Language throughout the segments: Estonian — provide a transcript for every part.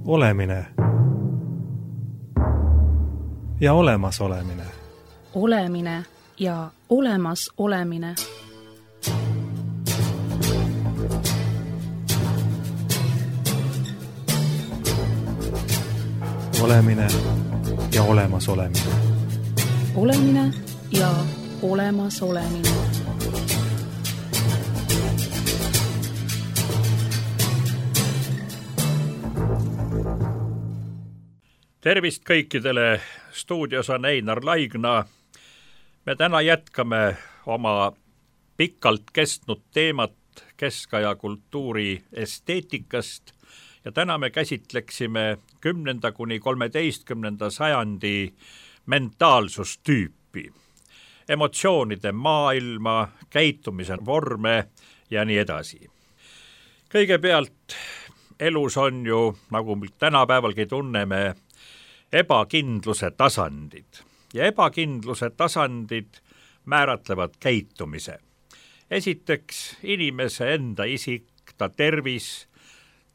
Olemine ja olemasolemine. Olemine ja olemas olemine. Olemine ja olemas olemine. Olemine ja olemas olemine. Tervist kõikidele, stuudios on Einar Laigna. Me täna jätkame oma pikalt kestnud teemat keskaja kultuuri esteetikast ja täna me käsitleksime 10. kuni 13. sajandi mentaalsustüüpi, emotsioonide maailma, käitumise vorme ja nii edasi. Kõigepealt elus on ju, nagu me tänapäevalgi tunneme, ebakindluse tasandid ja ebakindluse tasandid määratlevad käitumise. Esiteks inimese enda isik, ta tervis,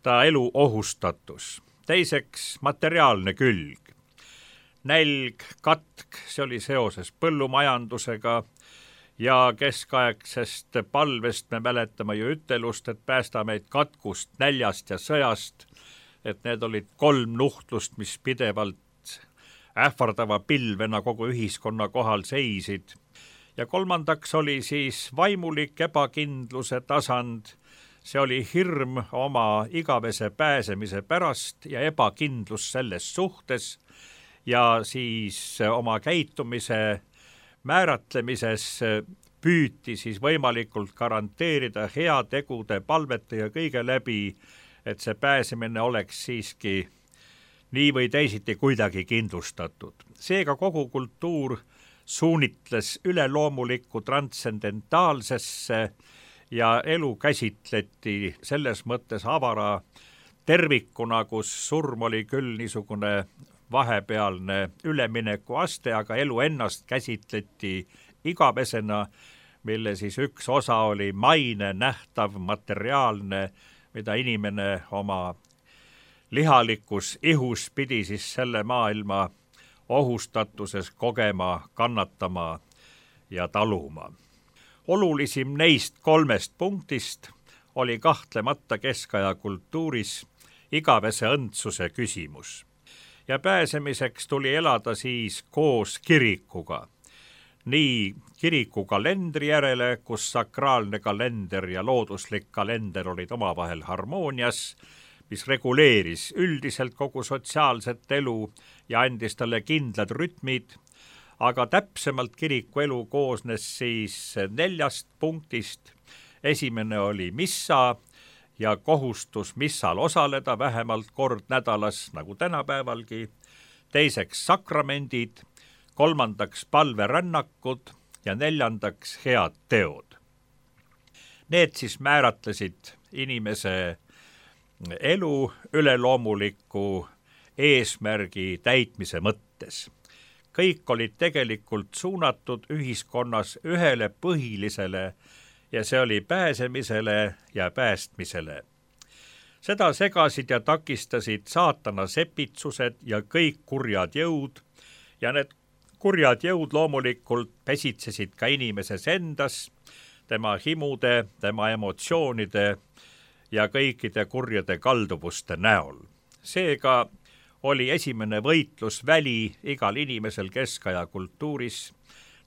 ta elu ohustatus. Teiseks materiaalne külg. Nälg, katk, see oli seoses põllumajandusega ja keskaegsest palvest me mäletame ju ütelust, et päästa meid katkust, näljast ja sõjast, et need olid 3 nuhtlust, mis pidevalt ähvardava pilvena kogu ühiskonna kohal seisid. Ja kolmandaks oli siis vaimulik ebakindluse tasand, see oli hirm oma igavese pääsemise pärast ja ebakindlus selles suhtes ja siis oma käitumise määratlemises püüti siis võimalikult garanteerida heategude, palvete ja kõige läbi, et see pääsemine oleks siiski nii või teisiti kuidagi kindlustatud. Seega kogu kultuur suunitles üleloomulikku transcendentaalsesse ja elu käsitleti selles mõttes avara tervikuna, kus surm oli küll niisugune vahepealne ülemineku aste, aga elu ennast käsitleti igavesena, mille siis üks osa oli maine, nähtav, materiaalne, mida inimene oma lihalikus ihus pidi siis selle maailma ohustatuses kogema, kannatama ja taluma. Olulisim neist 3 punktist oli kahtlemata keskaja kultuuris igavese õndsuse küsimus. Ja pääsemiseks tuli elada siis koos kirikuga. Nii kiriku kalendri järele, kus sakraalne kalender ja looduslik kalender olid omavahel harmoonias, mis reguleeris üldiselt kogu sotsiaalset elu ja andis talle kindlad rütmid, aga täpsemalt kiriku elu koosnes siis 4 punktist. Esimene oli missa ja kohustus missal osaleda vähemalt kord nädalas, nagu tänapäevalgi. Teiseks sakramendid, 3. palverännakud ja 4. head teod. Need siis määratlesid inimese elu üleloomuliku eesmärgi täitmise mõttes. Kõik olid tegelikult suunatud ühiskonnas ühele põhilisele ja see oli pääsemisele ja päästmisele. Seda segasid ja takistasid saatana sepitsused ja kõik kurjad jõud ja need kurjad jõud loomulikult pesitsesid ka inimeses endas, tema himude, tema emotsioonide ja kõikide kurjade kalduvuste näol. Seega oli esimene võitlusväli igal inimesel keskaja kultuuris,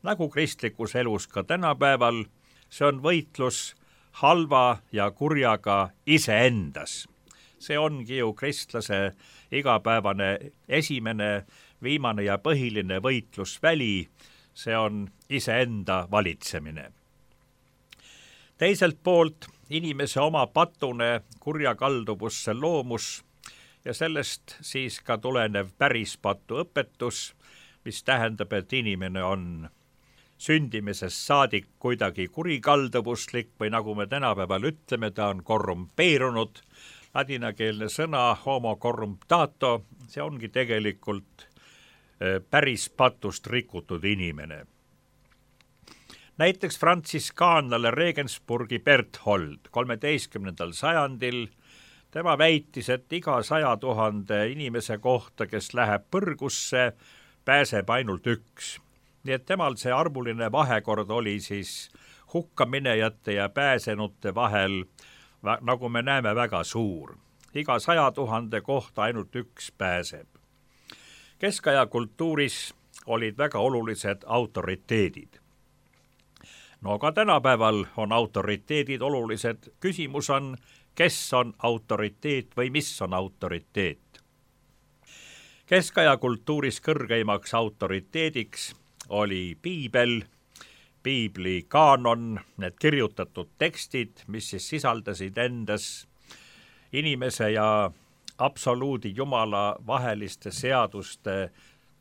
nagu kristlikus elus ka tänapäeval, see on võitlus halva ja kurjaga iseendas. See ongi ju kristlase igapäevane esimene, viimane ja põhiline võitlusväli, see on iseenda valitsemine. Teiselt poolt inimese oma patune kurja kalduvusse loomus ja sellest siis ka tulenev pärispatu õpetus, mis tähendab, et inimene on sündimisest saadik kuidagi kurikalduvuslik või nagu me tänapäeval ütleme, ta on korrumpeerunud. Ladinakeelne sõna homo corruptato, see ongi tegelikult pärispatust rikutud inimene. Näiteks frantsiskaanlane Regensburgi Berthold 13. sajandil tema väitis, et iga 100 000 inimese kohta, kes läheb põrgusse, pääseb ainult üks. Nii et temal see arvuline vahekord oli siis hukkaminejate ja pääsenute vahel, nagu me näeme, väga suur. Iga 100 000 kohta ainult üks pääseb. Keskaja kultuuris olid väga olulised autoriteedid. No ka tänapäeval on autoriteedid olulised. Küsimus on, kes on autoriteet või mis on autoriteet. Keskaja kultuuris kõrgeimaks autoriteediks oli piibel, piibli kaanon, need kirjutatud tekstid, mis siis sisaldasid endas inimese ja absoluudi Jumala vaheliste seaduste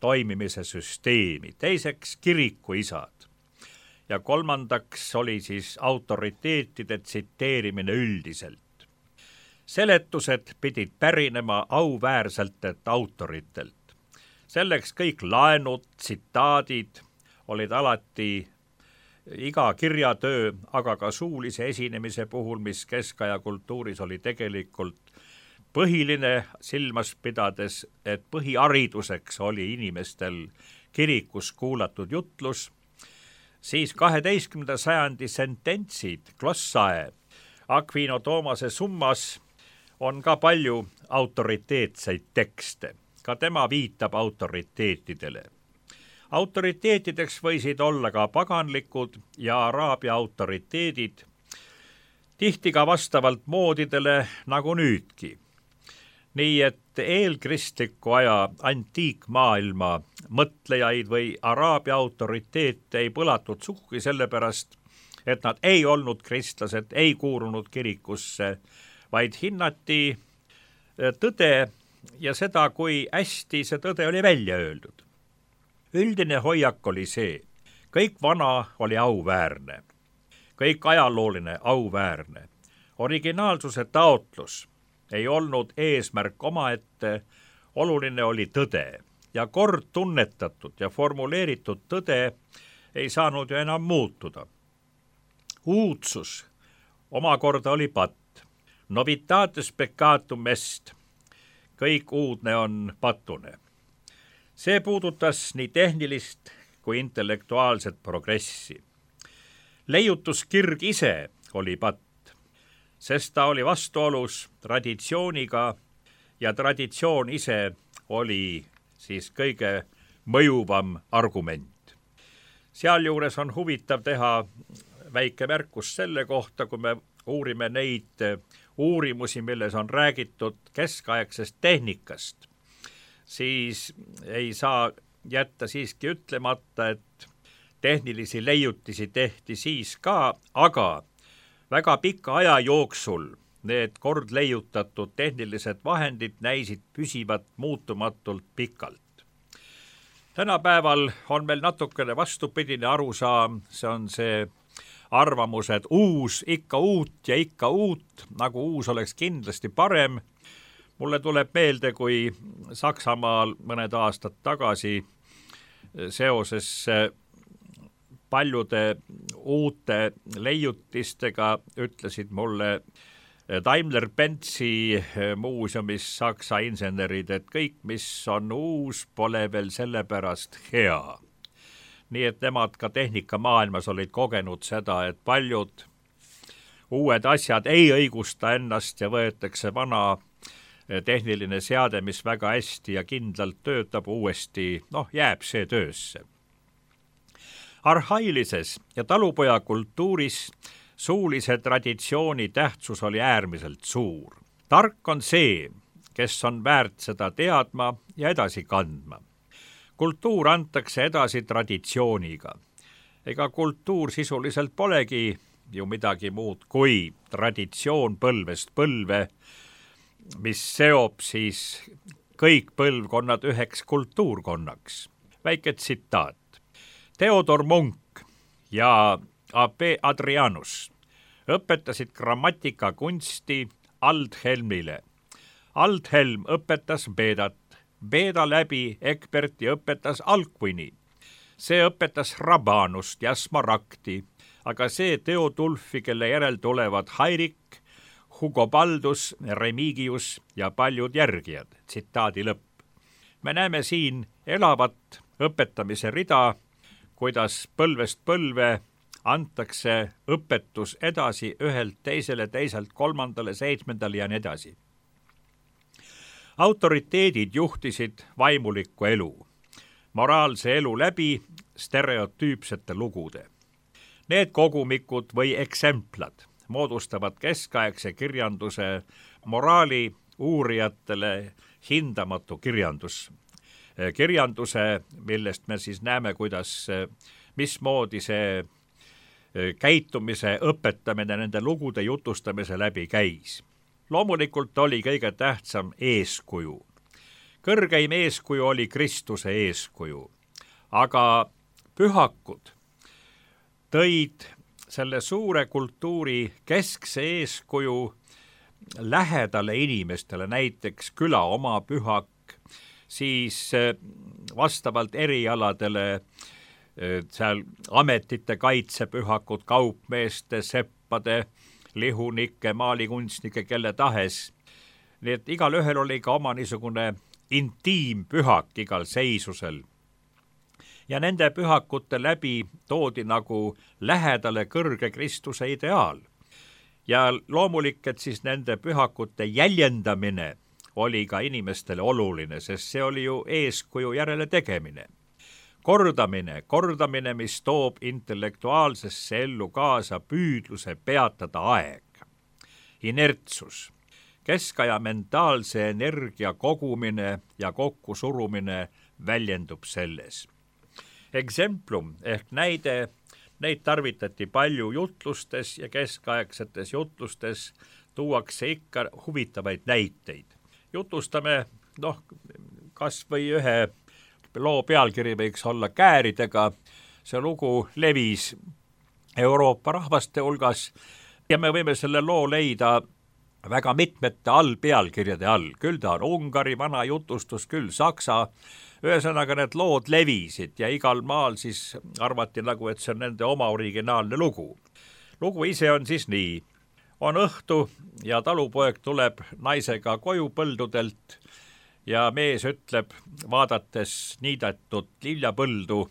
toimimise süsteemi. Teiseks kirikuisad ja kolmandaks oli siis autoriteetide tsiteerimine üldiselt. Seletused pidid pärinema auväärsetelt autoritelt. Selleks kõik laenud, tsitaadid olid alati iga kirjatöö, aga ka suulise esinemise puhul, mis keskaja kultuuris oli tegelikult põhiline, silmas pidades, et põhihariduseks oli inimestel kirikus kuulatud jutlus, siis 12. sajandi sententsid, glossae, Aquino Tomase summas on ka palju autoriteetseid tekste. Ka tema viitab autoriteetidele. Autoriteetideks võisid olla ka paganlikud ja araabia autoriteedid, tihti ka vastavalt moodidele nagu nüüdki. Nii et eelkristliku aja antiikmaailma mõtlejaid või araabia autoriteete ei põlatud suhki sellepärast, et nad ei olnud kristlased, ei kuulunud kirikusse, vaid hinnati tõde ja seda, kui hästi see tõde oli välja öeldud. Üldine hoiak oli see, kõik vana oli auväärne, kõik ajalooline auväärne. Originaalsuse taotlus ei olnud eesmärk omaette, oluline oli tõde ja kord tunnetatud ja formuleeritud tõde ei saanud ju enam muutuda. Uudsus omakorda oli patt. Novitates peccatum est, kõik uudne on patune. See puudutas nii tehnilist kui intellektuaalset progressi. Leiutuskirg ise oli patt, sest ta oli vastuolus traditsiooniga ja traditsioon ise oli siis kõige mõjuvam argument. Sealjuures on huvitav teha väike märkus selle kohta, kui me uurime neid uurimusi, milles on räägitud keskaegsest tehnikast, siis ei saa jätta siiski ütlemata, et tehnilisi leiutisi tehti siis ka, aga väga pika aja jooksul need kord leiutatud tehnilised vahendid näisid püsivat muutumatult pikalt. Tänapäeval on meil natukene vastupidine arusaam, see on see arvamus, et uus, ikka uut ja ikka uut, nagu uus oleks kindlasti parem. Mulle tuleb meelde, kui Saksamaal mõned aastad tagasi seoses paljude uute leiutistega ütlesid mulle Daimler-Benz'i muuseumis Saksa insenerid, et kõik, mis on uus, pole veel sellepärast hea. Nii et nemad ka tehnikamaailmas olid kogenud seda, et paljud uued asjad ei õigusta ennast ja võetakse vana tehniline seade, mis väga hästi ja kindlalt töötab uuesti, jääb see töösse. Arhailises ja talupoja kultuuris suulise traditsiooni tähtsus oli äärmiselt suur. Tark on see, kes on väärt seda teadma ja edasi kandma. Kultuur antakse edasi traditsiooniga. Ega kultuur sisuliselt polegi ju midagi muud kui traditsioon põlvest põlve, mis seob siis kõik põlvkonnad üheks kultuurkonnaks. Väike tsitaat. Theodor Munk ja A.P. Adrianus õpetasid grammatikakunsti Aldhelmile. Aldhelm õpetas Bedat. Beda läbi Egberti õpetas Alcuini. See õpetas Rabanust ja Smaragdi, aga see Theodulfi, kelle järel tulevad Hairik, Hugo Baldus, Remigius ja paljud järgijad. Tsitaadi lõpp. Me näeme siin elavat õpetamise rida, kuidas põlvest põlve antakse õpetus edasi ühelt teisele, teiselt kolmandale, seitsmendale ja nii edasi. Autoriteedid juhtisid vaimulikku elu, moraalse elu läbi stereotüüpsete lugude. Need kogumikud või eksemplad moodustavad keskaegse kirjanduse moraali uurijatele hindamatu kirjanduse, millest me siis näeme, mismoodi see käitumise õpetamine nende lugude jutustamise läbi käis. Loomulikult oli kõige tähtsam eeskuju. Kõrgeim eeskuju oli Kristuse eeskuju, aga pühakud tõid selle suure kultuuri keskse eeskuju lähedale inimestele, näiteks küla oma pühak, siis vastavalt erialadele seal ametite kaitsepühakud, kaupmeeste, seppade, lihunike, maalikunstnike, kelle tahes. Nii et igal ühel oli ka oma niisugune intiimpühak igal seisusel. Ja nende pühakute läbi toodi nagu lähedale kõrge Kristuse ideaal. Ja loomulik, et siis nende pühakute jäljendamine oli ka inimestele oluline, sest see oli ju eeskuju järele tegemine. Kordamine, mis toob intellektuaalsesse ellu kaasa püüdluse peatada aeg. Inertsus, keskaja mentaalse energia kogumine ja kokkusurumine väljendub selles. Exemplum ehk näide, neid tarvitati palju jutlustes ja keskaegsetes jutlustes tuuakse ikka huvitavaid näiteid. Jutustame, kas või ühe loo pealkiri võiks olla Kääridega. See lugu levis Euroopa rahvaste hulgas ja me võime selle loo leida väga mitmete allpealkirjade all. Küll ta on Ungari vana jutustus, küll Saksa. Ühesõnaga need lood levisid ja igal maal siis arvati nagu, et see on nende oma originaalne lugu. Lugu ise on siis nii. On õhtu ja talupoeg tuleb naisega koju põldudelt ja mees ütleb, vaadates niidetud liljapõldu,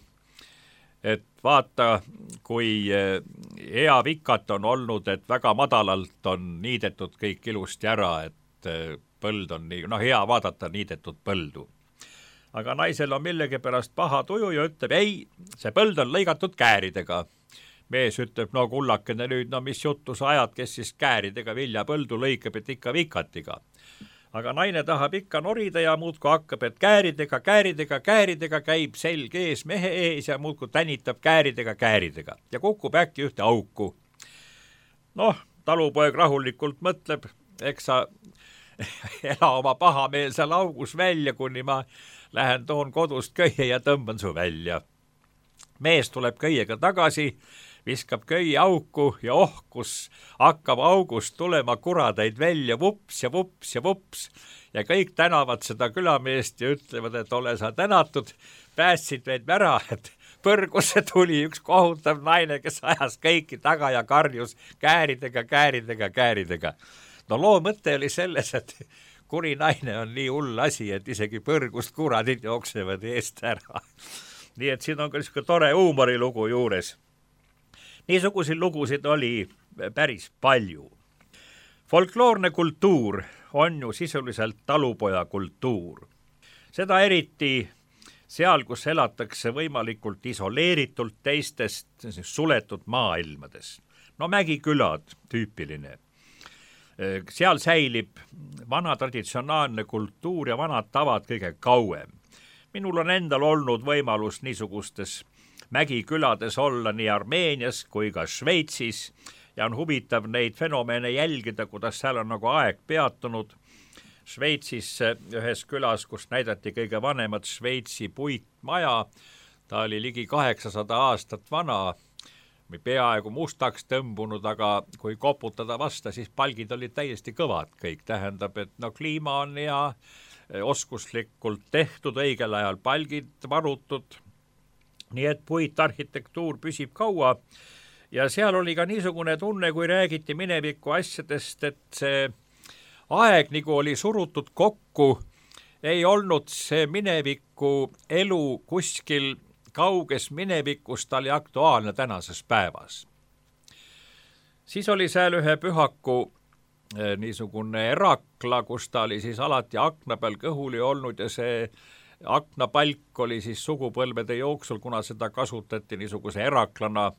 et vaata, kui hea vikat on olnud, et väga madalalt on niidetud kõik ilusti ära, et põld on nii, hea vaadata niidetud põldu. Aga naisel on millegipärast paha tuju ja ütleb, ei, see põld on lõigatud kääridega. Mees ütleb, kullakene nüüd, mis juttu sa ajad, kes siis kääridega viljapõldu lõikab, et ikka vikatiga. Aga naine tahab ikka norida ja muudku hakkab, et kääridega käib selg ees mehe ees ja muudku tänitab kääridega ja kukub äkki ühte auku. Talupoeg rahulikult mõtleb, eks sa ela oma pahameelsel augus välja, kuni ma lähen toon kodust köie ja tõmban su välja. Mees tuleb köiega tagasi, viskab köie auku ja kus hakkab august tulema kuradeid välja, vups ja vups ja vups. Ja kõik tänavad seda külameest ja ütlevad, et ole sa tänatud, päästsid meid ära, et põrgusse tuli üks kohutav naine, kes ajas kõiki taga ja karjus kääridega. Loo mõte oli selles, et kuri naine on nii hull asi, et isegi põrgust kuradid jooksevad eest ära. Nii et siin on ka niisugune tore huumorilugu juures. Niisuguseid lugusid oli päris palju. Folkloorne kultuur on ju sisuliselt talupoja kultuur. Seda eriti seal, kus elatakse võimalikult isoleeritult teistest suletud maailmades. Mägikülad tüüpiline. Seal säilib vana traditsionaalne kultuur ja vanad tavad kõige kauem. Minul on endal olnud võimalus niisugustes mägikülades olla nii Armeenias kui ka Šveitsis ja on huvitav neid fenomeene jälgida, kuidas seal on nagu aeg peatunud. Šveitsis ühes külas, kus näidati kõige vanemat Šveitsi puitmaja, ta oli ligi 800 aastat vana, peaaegu mustaks tõmbunud, aga kui koputada vasta, siis palgid olid täiesti kõvad kõik. Tähendab, et kliima on hea, oskuslikult tehtud, õigel ajal palgid varutud, nii et puitarhitektuur püsib kaua ja seal oli ka niisugune tunne, kui räägiti mineviku asjadest, et see aeg nagu oli surutud kokku, ei olnud see mineviku elu kuskil kauges minevikus, ta oli aktuaalne tänases päevas. Siis oli seal ühe pühaku niisugune erakla, kus ta oli siis alati akna peal kõhuli olnud ja see aknapalk oli siis sugupõlvede jooksul, kuna seda kasutati niisuguse eraklana,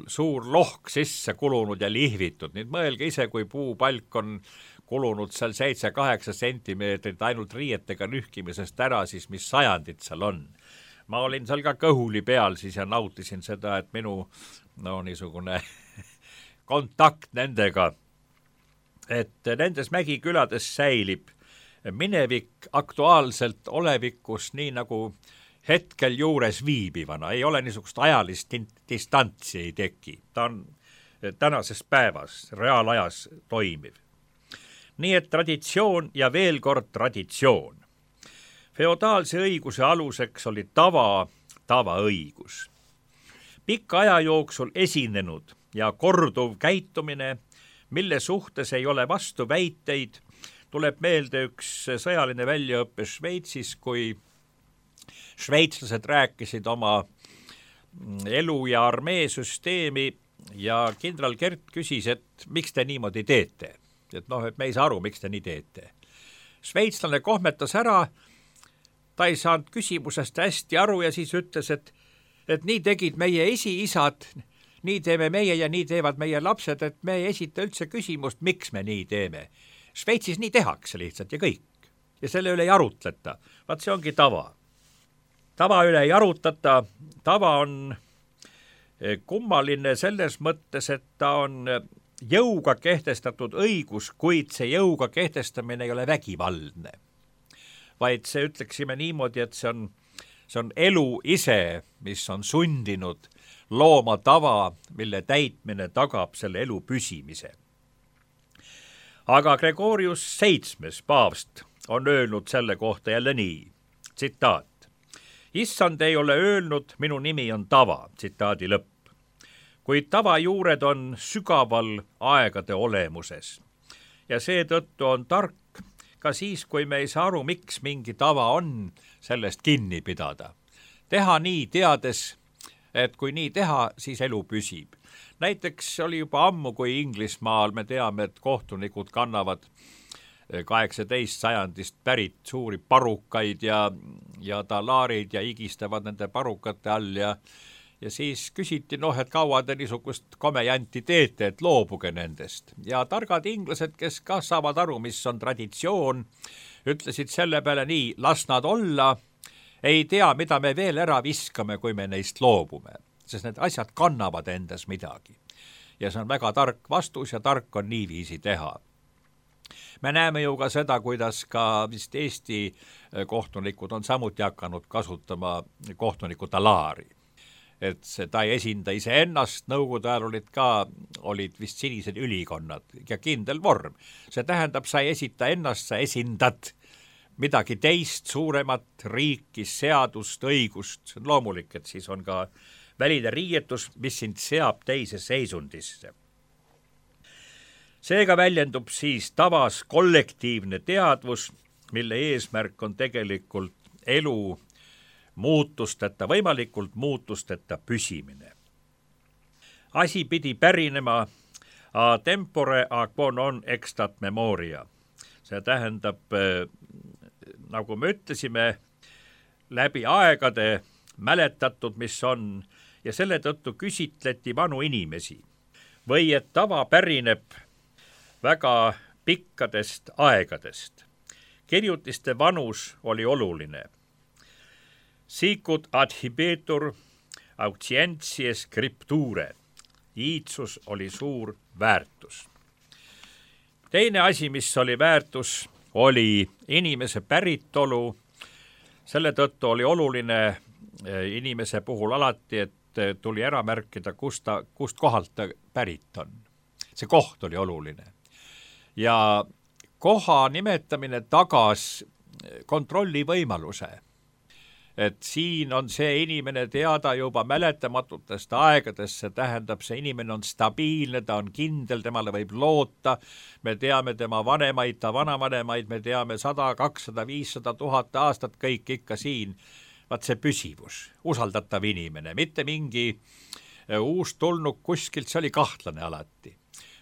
suur lohk sisse kulunud ja lihvitud. Nüüd mõelge ise, kui puupalk on kulunud seal 7-8 sentimeetrit ainult riietega nühkimisest ära, siis mis sajandid seal on. Ma olin seal ka kõhuli peal siis ja nautisin seda, et minu niisugune kontakt nendega, et nendes mägikülades säilib minevik aktuaalselt olevikus nii nagu hetkel juures viibivana, ei ole niisugust ajalist distantsi ei teki, ta on tänases päevas, reaalajas toimiv. Nii et traditsioon ja veel kord traditsioon. Feodaalse õiguse aluseks oli tavaõigus. Pikka aja jooksul esinenud ja korduv käitumine, mille suhtes ei ole vastu väiteid, tuleb meelde üks sõjaline väljaõppe Šveitsis, kui šveitslased rääkisid oma elu ja armeesüsteemi ja kindral Kert küsis, et miks te niimoodi teete? Et me ei saa aru, miks te nii teete. Šveitslane kohmetas ära, ta ei saanud küsimusest hästi aru ja siis ütles, et nii tegid meie esiisad, nii teeme meie ja nii teevad meie lapsed, et me ei esita üldse küsimust, miks me nii teeme. Šveitsis nii tehakse lihtsalt ja kõik. Ja selle üle ei arutleta. Vaat see ongi tava. Tava üle ei arutata. Tava on kummaline selles mõttes, et ta on jõuga kehtestatud õigus, kuid see jõuga kehtestamine ei ole vägivaldne. Vaid see ütleksime niimoodi, et see on elu ise, mis on sundinud looma tava, mille täitmine tagab selle elu püsimise. Aga Gregorius VII paavst on öelnud selle kohta jälle nii, tsitaat. Issand ei ole öelnud, minu nimi on tava, tsitaadi lõpp. Kuid tava juured on sügaval aegade olemuses. Ja seetõttu on tark ka siis, kui me ei saa aru, miks mingi tava on, sellest kinni pidada. Teha nii teades, et kui nii teha, siis elu püsib. Näiteks oli juba ammu, kui Inglismaal me teame, et kohtunikud kannavad 18 sajandist pärit suuri parukaid ja talaarid ja igistavad nende parukate all ja siis küsiti, et kaua te niisugust komejanti teete, et loobuge nendest. Ja targad inglased, kes ka saavad aru, mis on traditsioon, ütlesid selle peale nii, las nad olla, ei tea, mida me veel ära viskame, kui me neist loobume, sest need asjad kannavad endas midagi. Ja see on väga tark vastus ja tark on niiviisi teha. Me näeme ju ka seda, kuidas ka vist Eesti kohtunikud on samuti hakanud kasutama kohtuniku talaari. Et ta ei esinda ise ennast, nõukogude ajal olid vist sinised ülikonnad ja kindel vorm. See tähendab, sa ei esita ennast, sa esindad midagi teist, suuremat riiki, seadust, õigust. See on loomulik, et siis on ka väline riietus, mis sind seab teise seisundisse. Seega väljendub siis tavas kollektiivne teadvus, mille eesmärk on tegelikult elu muutusteta, võimalikult muutusteta püsimine. Asi pidi pärinema a tempore a quo non extat memoria. See tähendab, nagu me ütlesime, läbi aegade mäletatud, mis on, ja selle tõttu küsitleti vanu inimesi. Või et tava pärineb väga pikkadest aegadest. Kirjutiste vanus oli oluline. Sicut adhibetur auctientiae scripture. Iitsus oli suur väärtus. Teine asi, mis oli väärtus, oli inimese päritolu. Selle tõttu oli oluline inimese puhul alati, et tuli ära märkida, kust kohalt ta pärit on. See koht oli oluline. Ja koha nimetamine tagas kontrolli võimaluse. et siin on see inimene teada juba mäletamatutest aegadest, see tähendab, see inimene on stabiilne, ta on kindel, temale võib loota, me teame tema vanemaid, ta vanavanemaid, me teame 100, 200, 500, 1000 aastat, kõik ikka siin. Vaat see püsivus, usaldatav inimene, mitte mingi uus tulnuk kuskilt, see oli kahtlane alati.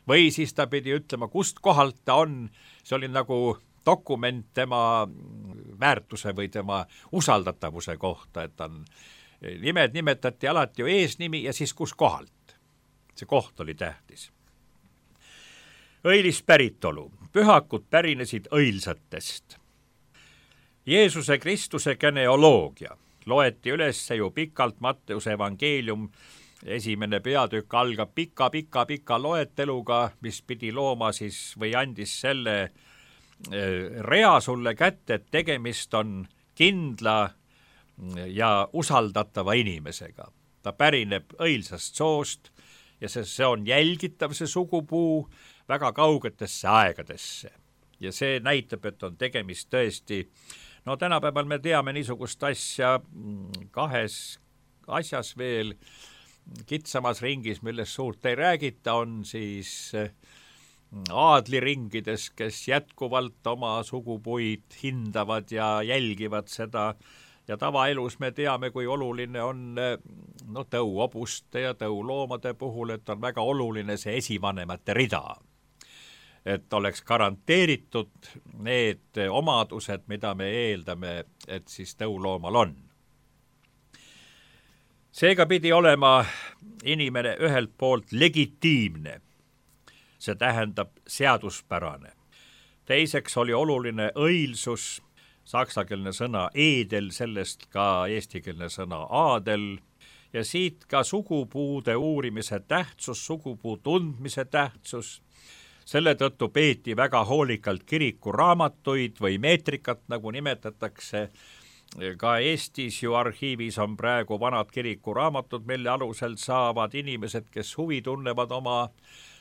Või siis ta pidi ütlema, kust kohalt ta on, see oli nagu dokument tema väärtuse või tema usaldatavuse kohta, et on, nimed nimetati alati ju eesnimi ja siis kus kohalt. See koht oli tähtis. Õilis päritolu. Pühakud pärinesid õilsatest. Jeesuse Kristuse geneoloogia loeti üles ju pikalt Matteuse evangeelium. Esimene peatükk algab pika loeteluga, mis pidi looma siis või andis selle rea sulle kätte, et tegemist on kindla ja usaldatava inimesega. Ta pärineb õilsast soost ja see on jälgitav, see sugupuu, väga kaugetesse aegadesse. Ja see näitab, et on tegemist tõesti, no tänapäeval me teame niisugust asja kahes asjas veel, kitsamas ringis, millest suurt ei räägita, on siis aadliringides, kes jätkuvalt oma sugupuid hindavad ja jälgivad seda ja tavaelus me teame, kui oluline on tõuobuste ja tõuloomade puhul, et on väga oluline see esivanemate rida. Et oleks garanteeritud need omadused, mida me eeldame, et siis tõuloomal on. Seega pidi olema inimene ühelt poolt legitiimne, see tähendab seaduspärane. Teiseks oli oluline õilsus, saksakeelne sõna edel, sellest ka eestikeelne sõna aadel, ja siit ka sugupuude uurimise tähtsus, sugupuu tundmise tähtsus. Selle tõttu peeti väga hoolikalt kirikuraamatuid või meetrikat, nagu nimetatakse. Ka Eestis ju arhiivis on praegu vanad kirikuraamatud, mille alusel saavad inimesed, kes huvi tunnevad oma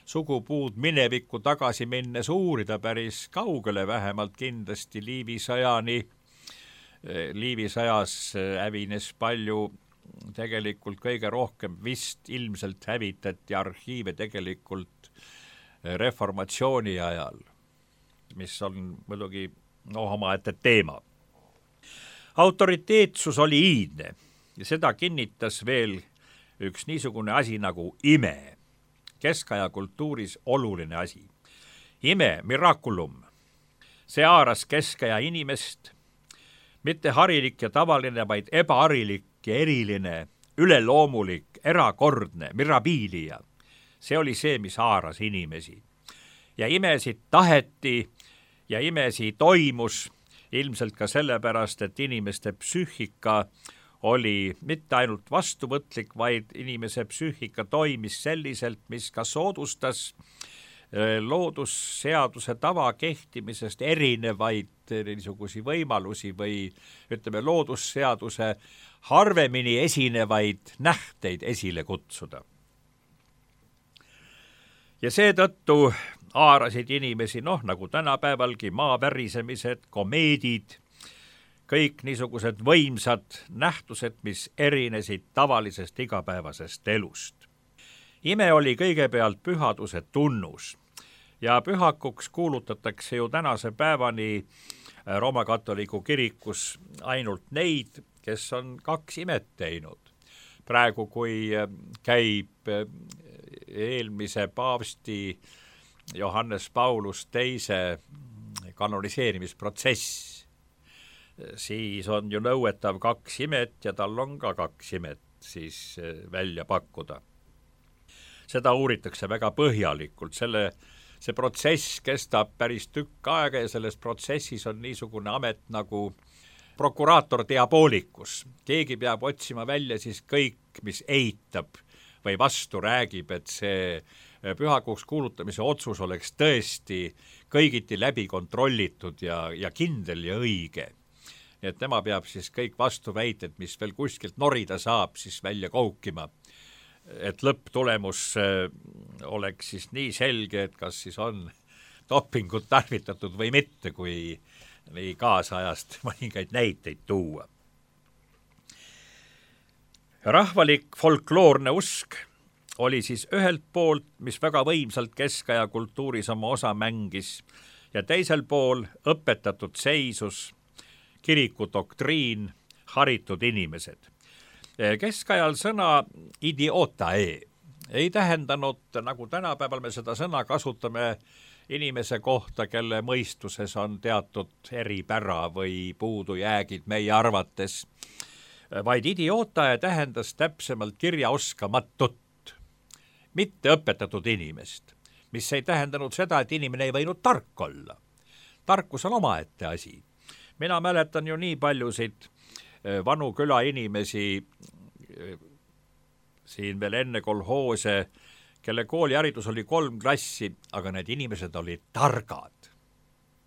sugupuud minevikku tagasi minnes uurida päris kaugele, vähemalt kindlasti Liivisõjani. Liivisõjas hävines palju, tegelikult kõige rohkem vist ilmselt hävitati arhiive tegelikult reformatsiooni ajal, mis on muidugi omaette teema. Autoriteetsus oli iidne ja seda kinnitas veel üks niisugune asi nagu ime. Keskaja kultuuris oluline asi. Ime, miraculum. See haaras keskaja inimest, mitte harilik ja tavaline, vaid ebaharilik ja eriline, üleloomulik, erakordne, mirabilia. See oli see, mis haaras inimesi. Ja imesid taheti ja imesi toimus ilmselt ka sellepärast, et inimeste psüühika oli mitte ainult vastuvõtlik, vaid inimese psüühika toimis selliselt, mis ka soodustas loodusseaduse tava kehtimisest erinevaid niisugusi võimalusi või ütleme loodusseaduse harvemini esinevaid nähteid esile kutsuda. Ja seetõttu haarasid inimesi, nagu tänapäevalgi, maavärisemised, komeedid, kõik niisugused võimsad nähtused, mis erinesid tavalisest igapäevasest elust. Ime oli kõigepealt pühaduse tunnus ja pühakuks kuulutatakse ju tänase päevani Rooma katoliku kirikus ainult neid, kes on 2 imet teinud. Praegu, kui käib eelmise paavsti Johannes Paulus II kanoniseerimisprotsess, siis on ju nõuetav 2 imet ja tal on ka 2 imet siis välja pakkuda. Seda uuritakse väga põhjalikult, see protsess kestab päris tükk aega ja selles protsessis on niisugune amet nagu prokuraator diabolikus. Keegi peab otsima välja siis kõik, mis eitab või vastu räägib, et see pühakuks kuulutamise otsus oleks tõesti kõigiti läbi kontrollitud ja kindel ja õige. Et tema peab siis kõik vastuväited, mis veel kuskilt norida saab, siis välja koukima. Et lõpptulemus oleks siis nii selge, et kas siis on dopingut tarvitatud või mitte, kui nii kaasajast mõningaid näiteid tuua. Rahvalik folkloorne usk oli siis ühelt poolt, mis väga võimsalt keskaja kultuuris oma osa mängis, ja teisel pool õpetatud seisus, kiriku doktriin, haritud inimesed. Keskajal sõna idiotae ei tähendanud, nagu tänapäeval me seda sõna kasutame inimese kohta, kelle mõistuses on teatud eripära või puudujäägid meie arvates, vaid idiotae tähendas täpsemalt kirjaoskamatut, mitte õpetatud inimest, mis ei tähendanud seda, et inimene ei võinud tark olla. Tarkus on omaette asi. Mina mäletan ju nii paljusid vanu küla inimesi siin veel enne kolhoose, kelle kooliharidus oli 3 klassi, aga need inimesed olid targad.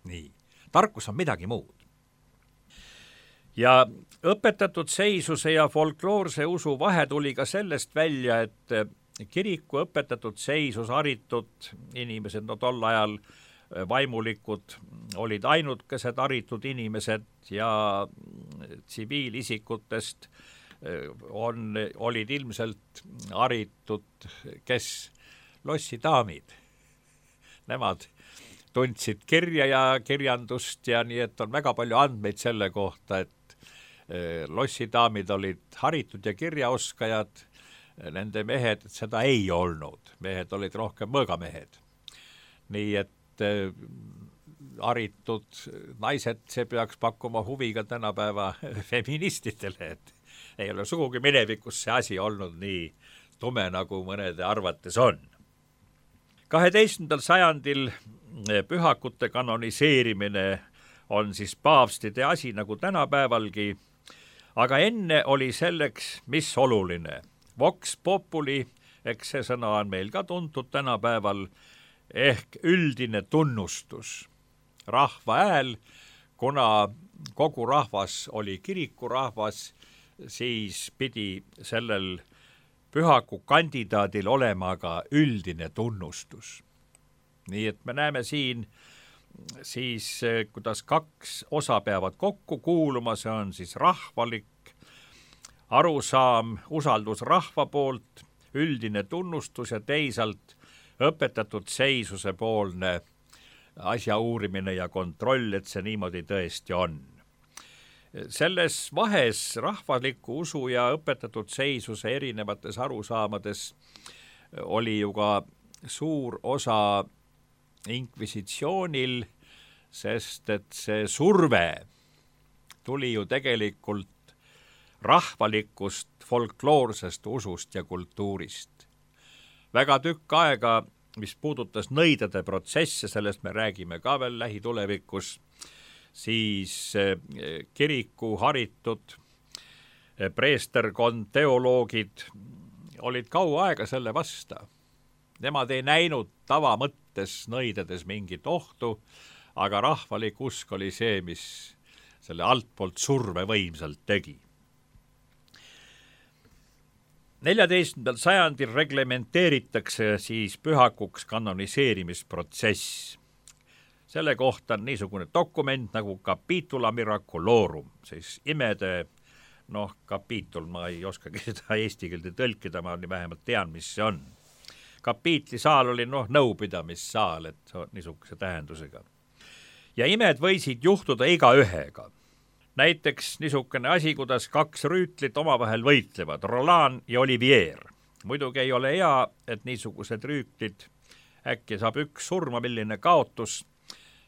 Nii, tarkus on midagi muud. Ja õpetatud seisuse ja folkloorse usu vahe tuli ka sellest välja, et kiriku õpetatud seisus haritud inimesed, no tol ajal vaimulikud olid ainukesed haritud inimesed ja tsiviilisikutest olid ilmselt haritud, kes lossidaamid. Nemad tundsid kirja ja kirjandust ja nii, et on väga palju andmeid selle kohta, et lossidaamid olid haritud ja kirjaoskajad, nende mehed seda ei olnud. Mehed olid rohkem mõõgamehed. Nii et haritud naised, see peaks pakkuma huvi ka tänapäeva feministidele, et ei ole sugugi minevikus see asi olnud nii tume, nagu mõnede arvates on. 12. sajandil pühakute kanoniseerimine on siis paavstide asi nagu tänapäevalgi, aga enne oli selleks, mis oluline. Vox populi, eks see sõna on meil ka tuntud tänapäeval, ehk üldine tunnustus. Rahva hääl, kuna kogu rahvas oli kirikurahvas, siis pidi sellel pühaku kandidaadil olema ka üldine tunnustus. Nii et me näeme siin siis, kuidas 2 osa peavad kokku kuuluma, see on siis rahvalik arusaam, usaldus rahva poolt, üldine tunnustus ja teisalt õpetatud seisuse poolne asja uurimine ja kontroll, et see niimoodi tõesti on. Selles vahes rahvaliku usu ja õpetatud seisuse erinevates arusaamades oli ju ka suur osa inkvisitsioonil, sest et see surve tuli ju tegelikult rahvalikust folkloorsest usust ja kultuurist. Väga tükk aega, mis puudutas nõidade protsesse, sellest me räägime ka veel lähitulevikus, siis kiriku haritud preesterkond, teoloogid olid kaua aega selle vasta. Nemad ei näinud tavamõttes nõidades mingit ohtu, aga rahvalik usk oli see, mis selle altpoolt surve võimsalt tegi. 14. sajandil reglementeeritakse siis pühakuks kanoniseerimisprotsess. Selle kohta on niisugune dokument nagu Capitula Miraculorum, siis imede, kapiitul, ma ei oskagi seda eesti keelde tõlkida, ma vähemalt tean, mis see on. Kapiitlisaal oli nõupidamissaal, et niisuguse tähendusega. Ja imed võisid juhtuda igaühega. Näiteks niisugune asi, kuidas 2 rüütlit omavahel võitlevad, Roland ja Olivier. Muidugi ei ole hea, et niisugused rüütlid äkki saab üks surma, milline kaotus,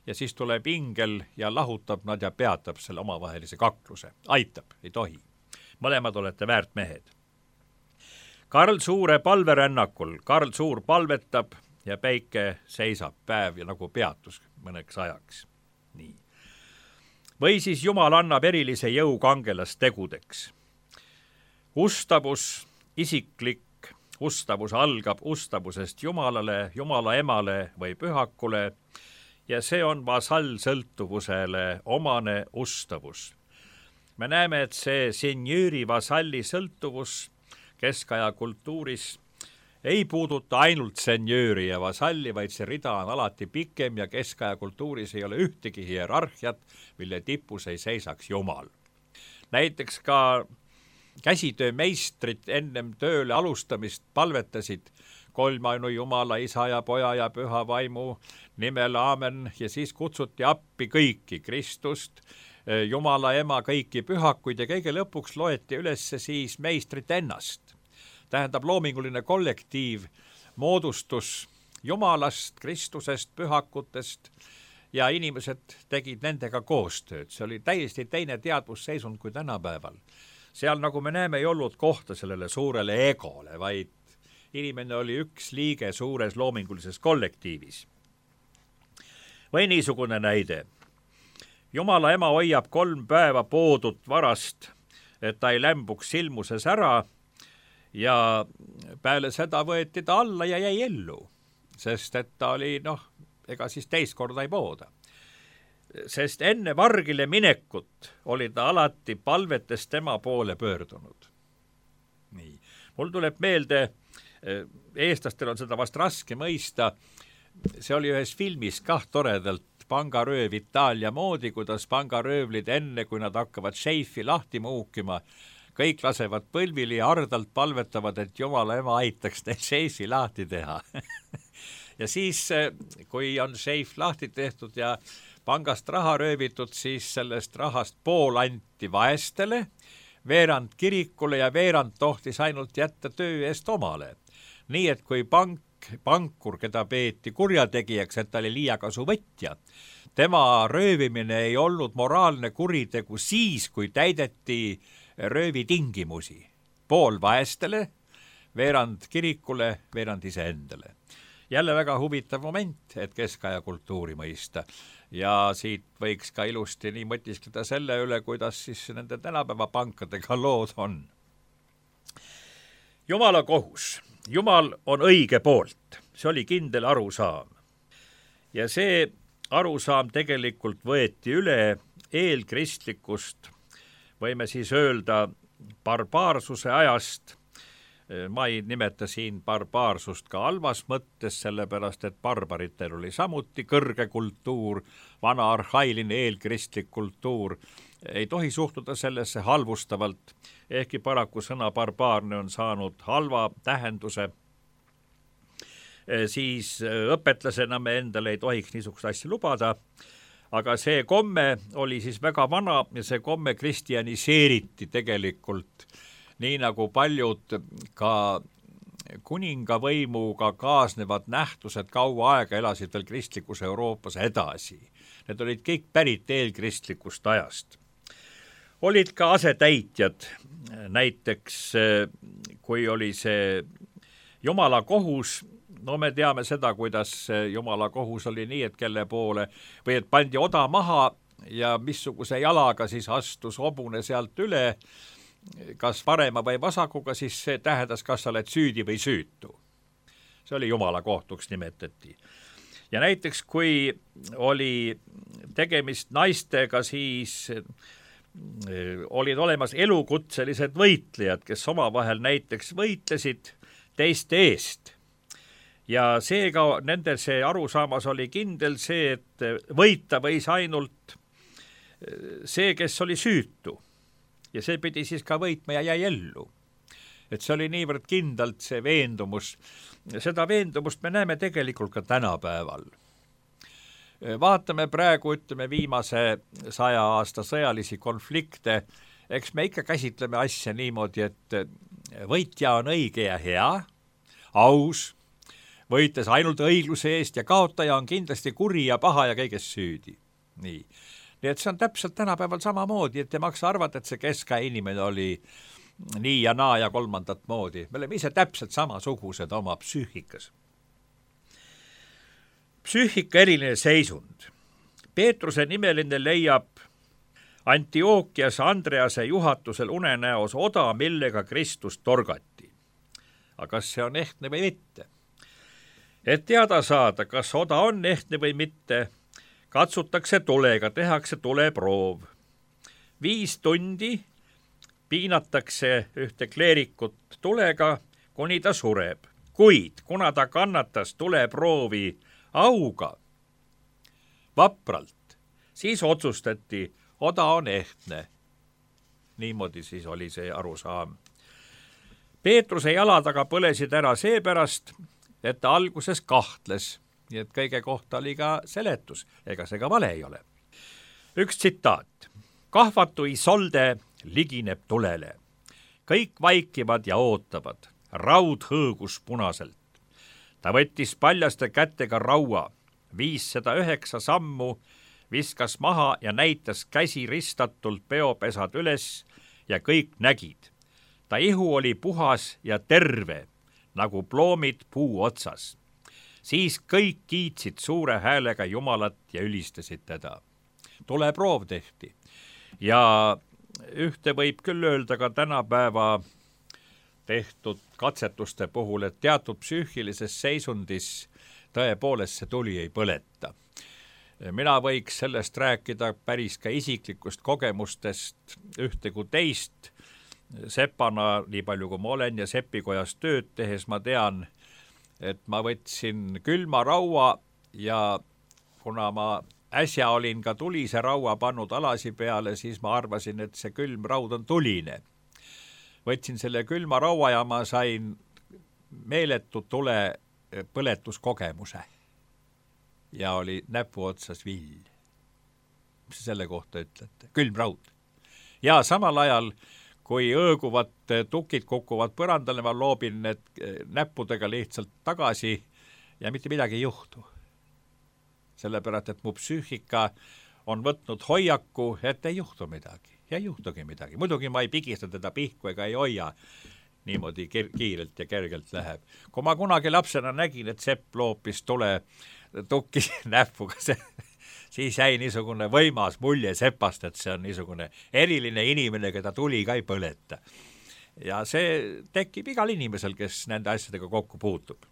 ja siis tuleb ingel ja lahutab nad ja peatab selle omavahelise kakluse. Aitab, ei tohi. Mõlemad olete väärt mehed. Karl Suure palverännakul. Karl Suur palvetab ja päike seisab päev ja nagu peatus mõneks ajaks. Nii. Või siis Jumal annab erilise jõu kangelastegudeks. Ustavus, isiklik ustavus algab ustavusest Jumalale, Jumala emale või pühakule ja see on vasallsõltuvusele omane ustavus. Me näeme, et see senjööri vasalli sõltuvus keskaja kultuuris ei puuduta ainult senjööri ja vasalli, vaid see rida on alati pikem ja keskaja kultuuris ei ole ühtegi hierarhiat, mille tipus ei seisaks Jumal. Näiteks ka käsitöömeistrid ennem tööle alustamist palvetasid kolmainu Jumala, Isa ja Poja ja Püha Vaimu nimel, aamen, ja siis kutsuti appi kõiki Kristust, Jumala ema, kõiki pühakuid ja kõige lõpuks loeti üles siis meistrit ennast. Tähendab, loominguline kollektiiv moodustus Jumalast, Kristusest, pühakutest ja inimesed tegid nendega koostööd. See oli täiesti teine teadvusseisund kui tänapäeval. Seal, nagu me näeme, ei olnud kohta sellele suurele egole, vaid inimene oli üks liige suures loomingulises kollektiivis. Või niisugune näide. Jumala ema hoiab 3 päeva poodut varast, et ta ei lämbuks silmuses ära, ja peale seda võeti ta alla ja jäi ellu, sest et ta oli, ega siis teist korda ei pooda. Sest enne vargile minekut oli ta alati palvetes tema poole pöördunud. Nii. Mul tuleb meelde, eestlastel on seda vast raske mõista, see oli ühes filmis toredalt pangarööv Itaalia moodi, kuidas pangaröövlid enne, kui nad hakkavad šeifi lahti muukima, kõik lasevad põlvili ja ardalt palvetavad, et Jumala ema aitaks neil šeifi lahti teha. Ja siis, kui on šeif lahti tehtud ja pangast raha röövitud, siis sellest rahast pool anti vaestele, veerand kirikule ja veerand tohtis ainult jätta töö eest omale. Nii, et kui pankur, keda peeti kurjategijaks, et ta oli liiakasuvõtja, tema röövimine ei olnud moraalne kuritegu siis, kui täideti röövi tingimusi. Pool vaestele, veerand kirikule, veerand iseendale. Jälle väga huvitav moment, et keskaja kultuuri mõista. Ja siit võiks ka ilusti nii mõtiskleda selle üle, kuidas siis nende tänapäeva pankadega lood on. Jumala kohus. Jumal on õige poolt. See oli kindel arusaam. Ja see arusaam tegelikult võeti üle eelkristlikust, võime siis öelda barbaarsuse ajast. Ma ei nimeta siin barbaarsust ka halvas mõttes, sellepärast et barbaritel oli samuti kõrge kultuur, vana arhailine eelkristlik kultuur. Ei tohi suhtuda sellesse halvustavalt, ehkki paraku sõna barbaarne on saanud halva tähenduse. Siis õpetlasena me endale ei tohiks niisugust asja lubada, aga see komme oli siis väga vana ja see komme kristjaniseeriti tegelikult, nii nagu paljud ka kuningavõimuga kaasnevad nähtused kaua aega elasid veel kristlikus Euroopas edasi. Need olid kõik pärit eelkristlikust ajast. Olid ka asetäitjad, näiteks kui oli see Jumala kohus, me teame seda, kuidas Jumala kohus oli nii, et kelle poole, või et pandi oda maha ja missuguse jalaga siis astus hobune sealt üle, kas parema või vasakuga, siis see tähendas, kas sa oled süüdi või süütu. See oli Jumala kohtuks nimetati. Ja näiteks, kui oli tegemist naistega, siis olid olemas elukutselised võitlejad, kes omavahel näiteks võitlesid teiste eest. Ja seega nende see arusaamas oli kindel see, et võita võis ainult see, kes oli süütu. Ja see pidi siis ka võitma ja jäi ellu. Et see oli niivõrd kindlalt see veendumus. Seda veendumust me näeme tegelikult ka tänapäeval. Vaatame praegu, viimase 100 aasta sõjalisi konflikte. Eks me ikka käsitleme asja niimoodi, et võitja on õige ja hea, aus, võites ainult õigluse eest ja kaotaja on kindlasti kuri ja paha ja kõiges süüdi. Nii et see on täpselt tänapäeval samamoodi, et ei maksa arvata, et see keskaja inimene oli nii ja naa ja kolmandat moodi. Me oleme ise täpselt samasugused oma psüühikas. Psüühika eriline seisund. Peetruse nimeline leiab Antiookias Andrease juhatusel unenäos oda, millega Kristus torgati. Aga kas see on ehtne või mitte? Et teada saada, kas oda on ehtne või mitte, katsutakse tulega, tehakse tuleproov. 5 tundi piinatakse ühte kleerikut tulega, kuni ta sureb. Kuid kuna ta kannatas tuleproovi auga vapralt, siis otsustati, oda on ehtne. niimoodi siis oli see arusaam. Peetruse jalad aga põlesid ära seepärast, et ta alguses kahtles, nii et kõige kohta oli ka seletus, ega see ka vale ei ole. Üks tsitaat. Kahvatu Isolde ligineb tulele. Kõik vaikivad ja ootavad. Raud hõõgus punaselt. Ta võttis paljaste kätega raua, 509 sammu, viskas maha ja näitas käsi ristatult peopesad üles ja kõik nägid. Ta ihu oli puhas ja terve, nagu ploomid puu otsas. Siis kõik kiitsid suure häälega Jumalat ja ülistasid teda. Tuleproov tehti. Ja ühte võib küll öelda ka tänapäeva tehtud katsetuste puhul, et teatud psüühilises seisundis tõepoolest see tuli ei põleta. Mina võiks sellest rääkida päris ka isiklikust kogemustest ühte kui teist. Sepana, nii palju kui ma olen ja sepikojas tööd tehes, ma tean, et ma võtsin külma raua ja kuna ma äsja olin ka tulise raua pannud alasi peale, siis ma arvasin, et see külm raud on tuline. Võtsin selle külma raua ja ma sain meeletu tule põletuskogemuse. Ja oli näpu otsas vill. Mis selle kohta ütlete? Külm raud. Ja samal ajal, kui õõguvad tukid kukuvad põrandale, ma loobin need näppudega lihtsalt tagasi ja mitte midagi ei juhtu. Sellepärast, et mu psüühika on võtnud hoiaku, et ei juhtu midagi. Ja ei juhtugi midagi. Muidugi ma ei pigista teda pihku ega ei hoia. Niimoodi kiirelt ja kergelt läheb. Kui ma kunagi lapsena nägin, et sepp loopis tule tukki näppuga, siis jäi niisugune võimas mulje sepast, et see on niisugune eriline inimene, keda tuli ka ei põleta. Ja see tekib igal inimesel, kes nende asjadega kokku puutub.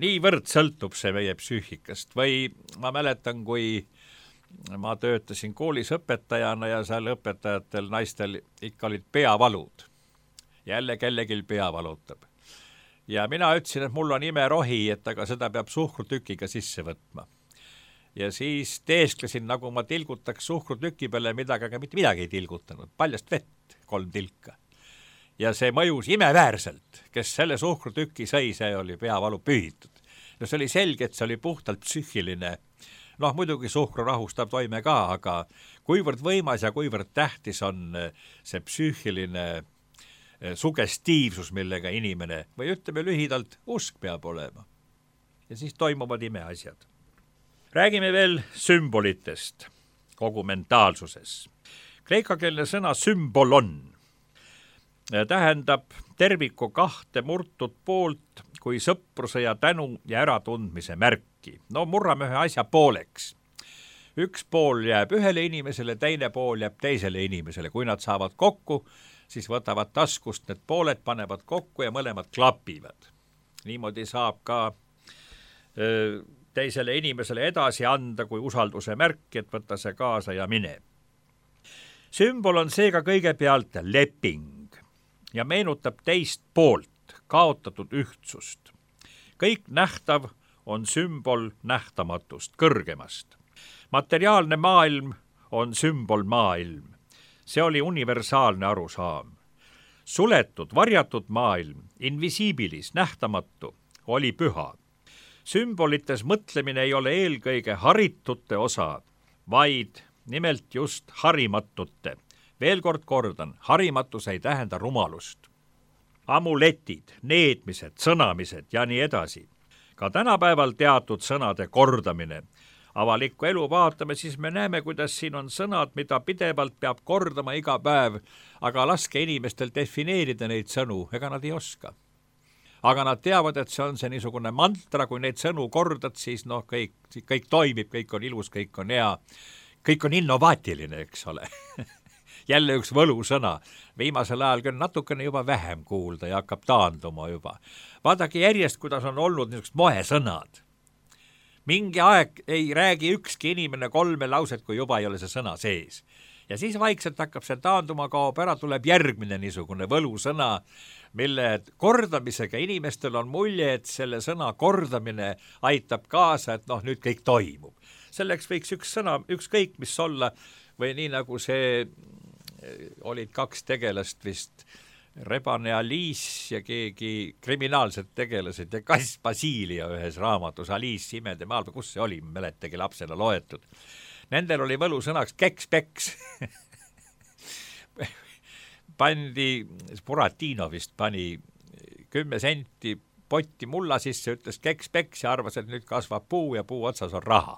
Niivõrd sõltub see meie psüühikast. Või ma mäletan, kui ma töötasin koolis õpetajana ja seal õpetajatel naistel ikka olid peavalud. Jälle kellegil pea valutab. Ja mina ütlesin, et mul on imerohi, et aga seda peab suhkrutükiga sisse võtma. Ja siis teesklesin, nagu ma tilgutaks suhkrutüki peale midagi, aga mitte midagi ei tilgutanud. Paljast vett, 3 tilka. Ja see mõjus imeväärselt, kes selle suhkrutüki sõi, see oli peavalu pühitud. No see oli selge, et see oli puhtalt psüühiline. Noh, muidugi suhkru rahustab toime ka, aga kuivõrd võimas ja kuivõrd tähtis on see psüühiline sugestiivsus, millega inimene, või ütleme lühidalt, usk peab olema. Ja siis toimuvad imeasjad. Räägime veel sümbolitest kogu mentaalsuses. Kreekakeelne sõna sümbolon tähendab terviku 2 murtud poolt kui sõpruse ja tänu ja äratundmise märki. No murrame ühe asja pooleks. Üks pool jääb ühele inimesele, teine pool jääb teisele inimesele. Kui nad saavad kokku, siis võtavad taskust need pooled, panevad kokku ja mõlemad klapivad. Niimoodi saab ka teisele inimesele edasi anda kui usalduse märki, et võtta see kaasa ja mine. Sümbol on seega kõigepealt leping ja meenutab teist poolt, kaotatud ühtsust. Kõik nähtav on sümbol nähtamatust, kõrgemast. Materiaalne maailm on sümbol maailm. See oli universaalne arusaam. Suletud, varjatud maailm, invisiibilis, nähtamatu, oli püha. Sümbolites mõtlemine ei ole eelkõige haritute osa, vaid nimelt just harimatute. Veel kord kordan, harimatus ei tähenda rumalust. Amuletid, needmised, sõnamised ja nii edasi. Ka tänapäeval teatud sõnade kordamine. Avalikku elu vaatame, siis me näeme, kuidas siin on sõnad, mida pidevalt peab kordama iga päev, aga laske inimestel defineerida neid sõnu, ega nad ei oska. Aga nad teavad, et see on see niisugune mantra, kui neid sõnu kordad, siis kõik toimib, kõik on ilus, kõik on hea, kõik on innovaatiline, eks ole. Jälle üks võlusõna. Viimasel ajal küll natukene juba vähem kuulda ja hakkab taanduma juba. Vaadake järjest, kuidas on olnud niisugust moesõnad. Mingi aeg ei räägi ükski inimene 3 lauset, kui juba ei ole see sõna sees. Ja siis vaikselt hakkab see taanduma, kaob ära, tuleb järgmine niisugune võlusõna, mille kordamisega inimestel on mulje, et selle sõna kordamine aitab kaasa, et nüüd kõik toimub. Selleks võiks üks sõna, ükskõik mis olla, või nii nagu see olid kaks tegelast vist, Rebane Alice ja keegi kriminaalsed tegelased ja kass Basilia ühes raamatus, Alice imede maal, kus see oli, mäletagi lapsena loetud. Nendel oli võlusõnaks keks-peks. Pandi, Buratino vist pani 10 senti potti mulla sisse, ütles keks-peks ja arvas, et nüüd kasvab puu ja puu otsas on raha.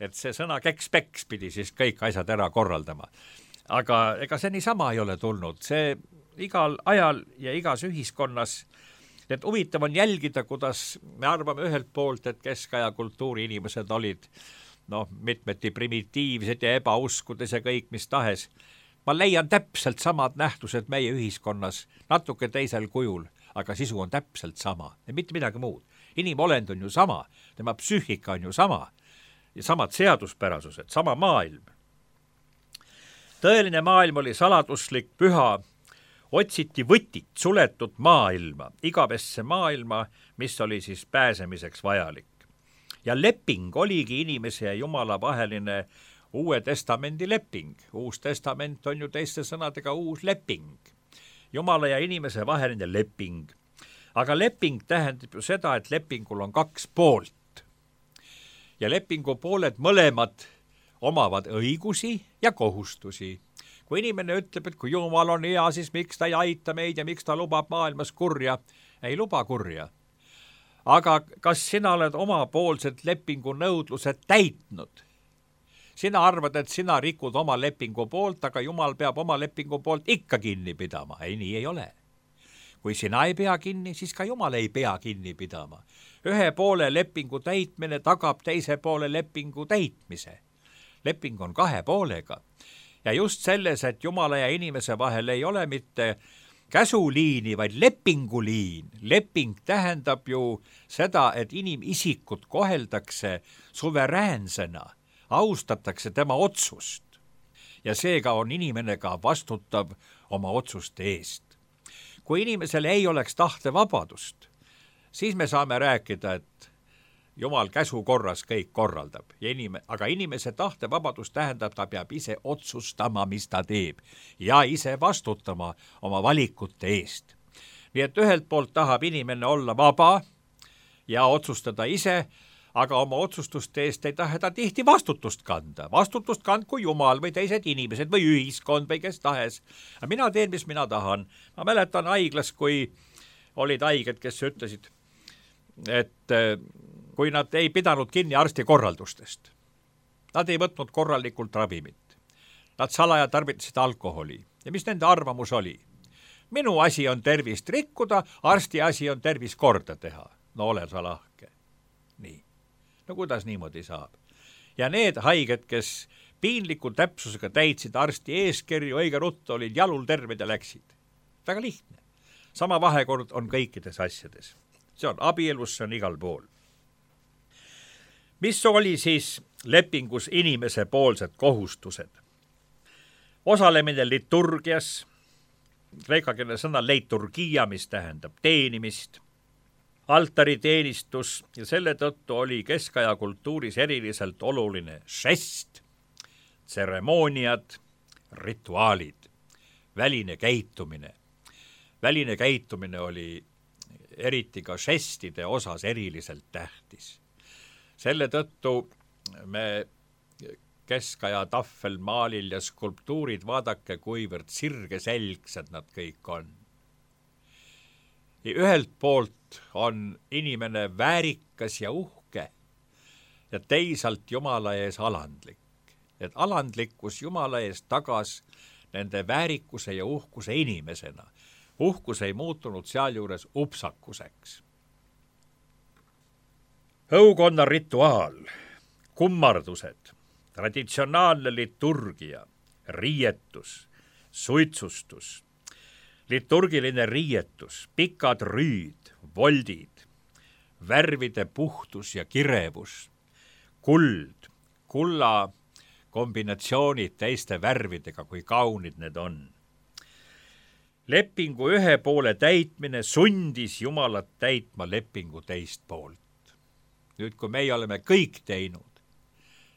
Et see sõna keks-peks pidi siis kõik asjad ära korraldama. Aga ega see niisama ei ole tulnud, see igal ajal ja igas ühiskonnas, et huvitav on jälgida, kuidas me arvame ühelt poolt, et keskaja kultuuri inimesed olid mitmeti primitiivsed ja ebauskudes ja kõik mis tahes. Ma leian täpselt samad nähtused meie ühiskonnas, natuke teisel kujul, aga sisu on täpselt sama ja mitte midagi muud. Inimolend on ju sama, tema psüühika on ju sama ja samad seaduspärasused, sama maailm. Tõeline maailm oli saladuslik, püha, otsiti võtit, suletud maailma, igavesse maailma, mis oli siis pääsemiseks vajalik. Ja leping oligi inimese ja Jumala vaheline Uue Testamendi leping. Uus testament on ju teiste sõnadega uus leping. Jumala ja inimese vaheline leping. Aga leping tähendab ju seda, et lepingul on kaks poolt. Ja lepingu pooled mõlemad omavad õigusi ja kohustusi. Kui inimene ütleb, et kui Jumal on hea, siis miks ta ei aita meid ja miks ta lubab maailmas kurja? Ei luba kurja. Aga kas sina oled omapoolsed lepingu nõudlused täitnud? Sina arvad, et sina rikud oma lepingu poolt, aga Jumal peab oma lepingu poolt ikka kinni pidama. Ei, nii ei ole. Kui sina ei pea kinni, siis ka Jumal ei pea kinni pidama. Ühe poole lepingu täitmine tagab teise poole lepingu täitmise. Leping on kahe poolega. Ja just selles, et Jumala ja inimese vahel ei ole mitte käsuliini, vaid lepinguliin. Leping tähendab ju seda, et inimisikut koheldakse suveräänsena, austatakse tema otsust. Ja seega on inimene ka vastutav oma otsuste eest. Kui inimesel ei oleks tahtevabadust, siis me saame rääkida, et Jumal käsu korras kõik korraldab, aga inimese tahtevabadus tähendab, ta peab ise otsustama, mis ta teeb ja ise vastutama oma valikute eest. Nii et ühelt poolt tahab inimene olla vaba ja otsustada ise, aga oma otsustuste eest ei taha ta tihti vastutust kanda. Vastutust kandku Jumal või teised inimesed või ühiskond või kes tahes. Mina teen, mis mina tahan. Ma mäletan haiglas, kui olid haiged, kes ütlesid, et kui nad ei pidanud kinni arsti korraldustest. Nad ei võtnud korralikult ravimit. Nad salaja tarvitasid alkoholi. Ja mis nende arvamus oli? Minu asi on tervist rikkuda, arsti asi on tervis korda teha. No ole sa lahke. Nii. No kuidas niimoodi saab? Ja need haiged, kes piinliku täpsusega täitsid arsti eeskirju, õige ruttu olid jalul terved ja läksid. Väga lihtne. Sama vahekord on kõikides asjades. See on abielus, see on igal pool. Mis oli siis lepingus inimese poolsed kohustused? Osalemine liturgias, kreekakeelne sõna leiturgia, mis tähendab teenimist, altariteenistus ja selle tõttu oli keskaja kultuuris eriliselt oluline žest, tseremooniad, rituaalid, väline käitumine. Väline käitumine oli eriti ka žestide osas eriliselt tähtis. Selle tõttu me keskaja tahvelmaalil ja skulptuurid, vaadake, kuivõrd sirgeselgsed nad kõik on. Ja ühelt poolt on inimene väärikas ja uhke ja teisalt Jumala ees alandlik. Et alandlikkus Jumala ees tagas nende väärikuse ja uhkuse inimesena. Uhkus ei muutunud sealjuures upsakuseks. Õukonna rituaal, kummardused, traditsionaalne liturgia, riietus, suitsustus, liturgiline riietus, pikad rüüd, voldid, värvide puhtus ja kirevus, kuld, kulla kombinatsioonid teiste värvidega, kui kaunid need on. Lepingu ühe poole täitmine sundis Jumalat täitma lepingu teist poolt. Nüüd, kui meie oleme kõik teinud,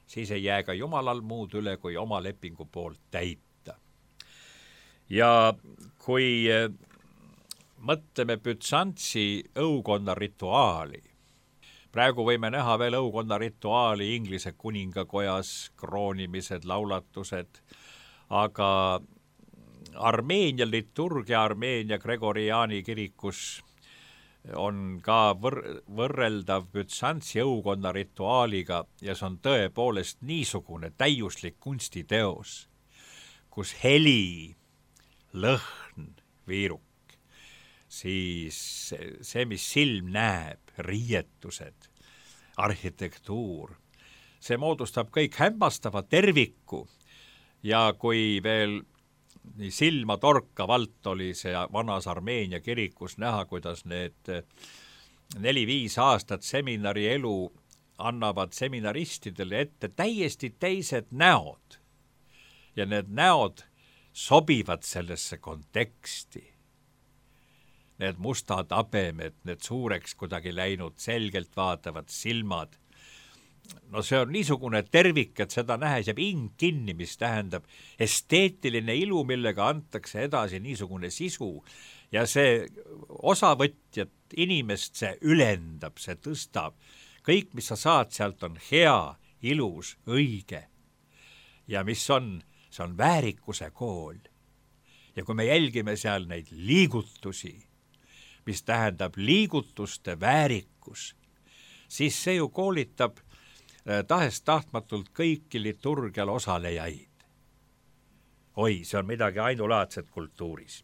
siis ei jää ka Jumalal muud üle, kui oma lepingu poolt täita. Ja kui mõtleme Bütsantsi õukonna rituaali, praegu võime näha veel õukonna rituaali Inglise kuningakojas, kroonimised, laulatused, aga Armeenia liturgia, Armeenia Gregoriani kirikus on ka võrreldav Bütsantsi õukonna rituaaliga ja see on tõepoolest niisugune täiuslik kunstiteos, kus heli, lõhn, viiruk, siis see, mis silm näeb, riietused, arhitektuur, see moodustab kõik hämmastava terviku ja kui veel nii silma torkavalt oli see vanas Armeenia kirikus näha, kuidas need 4-5 aastat seminari elu annavad seminaristidele ette täiesti teised näod. Ja need näod sobivad sellesse konteksti. Need mustad abemed, need suureks kuidagi läinud, selgelt vaatavad silmad. No see on niisugune tervik, et seda nähes jääb hing kinni, mis tähendab esteetiline ilu, millega antakse edasi niisugune sisu ja see osavõtjat, inimest see ülendab, see tõstab. Kõik, mis sa saad sealt on hea, ilus, õige. Ja mis on, see on väärikuse kool. Ja kui me jälgime seal neid liigutusi, mis tähendab liigutuste väärikus, siis see ju koolitab tahes-tahtmatult kõiki liturgial osalejaid. Oi, see on midagi ainulaadset kultuuris.